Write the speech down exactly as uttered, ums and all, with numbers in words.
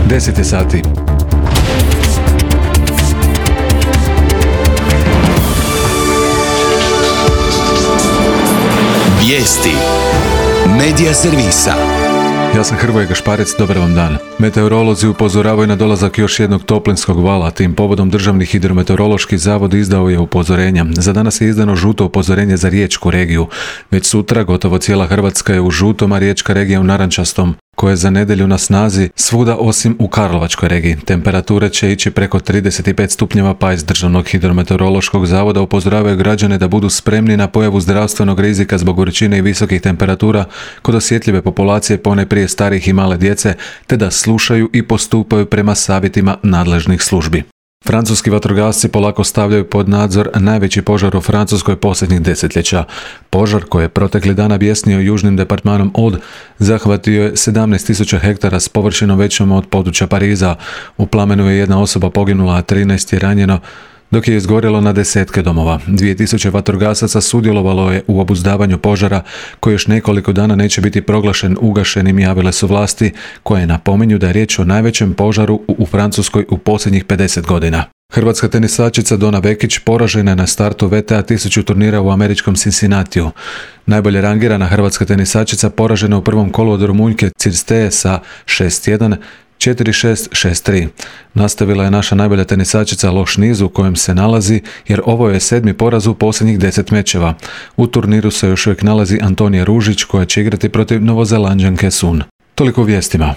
deset je sati. Vijesti Medija servisa. Ja sam Hrvoje Gašparec, dobar vam dan. Meteorolozi upozoravaju na dolazak još jednog toplinskog vala, tim povodom Državni hidrometeorološki zavod izdao je upozorenja. Za danas je izdano žuto upozorenje za riječku regiju. Već sutra gotovo cijela Hrvatska je u žutom, a riječka regija u narančastom, koje je za nedjelju na snazi svuda osim u Karlovačkoj regiji. Temperature će ići preko trideset pet stupnjeva, pa iz Državnog hidrometeorološkog zavoda upozoravaju građane da budu spremni na pojavu zdravstvenog rizika zbog vrućine i visokih temperatura kod osjetljive populacije, ponajprije starih i male djece, te da slušaju i postupaju prema savjetima nadležnih službi. Francuski vatrogasci polako stavljaju pod nadzor najveći požar u Francuskoj posljednjih desetljeća. Požar koji je protekli dana bjesnio južnim departmanom Aude zahvatio je sedamnaest tisuća hektara s površinom većom od područja Pariza. U plamenu je jedna osoba poginula, a trinaest je ranjeno, dok je izgorjelo na desetke domova. dvije tisuće vatrogasaca sudjelovalo je u obuzdavanju požara, koji još nekoliko dana neće biti proglašen ugašenim, javile su vlasti, koje napominju da je riječ o najvećem požaru u, u Francuskoj u posljednjih pedeset godina. Hrvatska tenisačica Dona Vekić poražena je na startu V T A tisuću turnira u američkom Cincinnatiju. Najbolje rangirana hrvatska tenisačica poražena u prvom kolu od Rumunjke Cirsteje sa šest jedan, četiri šest, šest tri. Nastavila je naša najbolja tenisačica loš niz u kojem se nalazi, jer ovo je sedmi poraz u posljednjih deset mečeva. U turniru se još uvijek nalazi Antonija Ružić, koja će igrati protiv Novozelanđanke Sun. Toliko u vijestima.